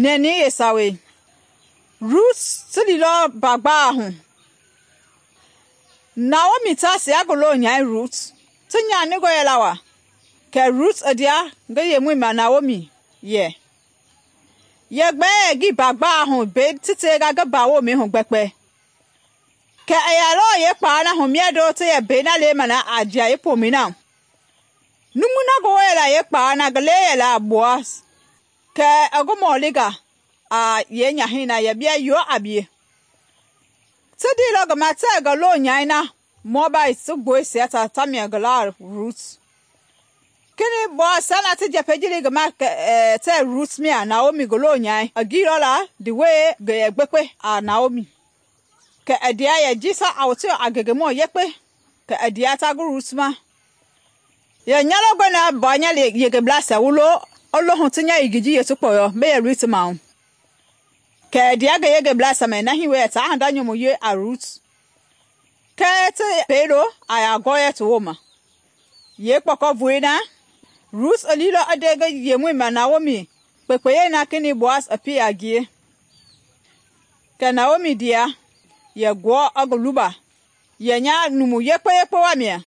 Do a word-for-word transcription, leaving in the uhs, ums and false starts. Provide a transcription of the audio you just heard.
nɛni yeesawei. Rut ti liilɔ mbagbaa hu. Naomi taasia ngi lonyai Rut ti nyaningɔ yɛla wa, kɛ Rut i ndea ngi yemɔi ma Naomi yɛ, “Yɛgbɛi yɛ ngii mbagbaa hu mbei ti tenga ngi mbawomɛi hu gbɛkpɛ.” Kɛ i yɛlɔ yeekpalɛi na hu miando ti yɛ mbei na lema na a Jiai pomɛi na. Numui na ngi woo yɛla yeekpalɛi na ngi lɛi yɛla Boas, kɛ i ngi mɔlinga a yeenyahɛi na yɛ bia yoo a bie. Ti ndeilɔ ngi ma tɛɛ ngi lonyai na Moabite ti gboisia ta tamia ngi laa Rut. Kenɛi Boasia na ti njɛpɛi ji li ngi ma tɛɛ Rut mia Naomi ngi lonyai i giilɔ la ndi wɛi ngi yɛ gbekpe a Naomi. Kɛ i ndea yɛ jisia a woteilɔ a ngengemɔ yekpe, kɛ i ndea ta ngi Rut ma. Yɛ nya longɔe na mbua nya yengebleisia wu lo i lo hu ti nya yengei ji yee ti kpɔyɔ mbei yɛ loi ti mahu. Kɛ i ndea ngi yengebleisia ma na hii wɛ yɛ taa hinda nyomo wie a Rut. Kɛɛ ti mbei lo a yaa gɔɔyɛ ti wooma. Yeekpɔkɔ na Rut i liilɔ i nde ngi yemɔi ma Naomi kpekpeyei na kenɛi Boas i pie a ngie. Kɛ Naomi ndea yɛ gɔɔ i ngi luba, yɛ nya numu yekpe yekpe wa mia.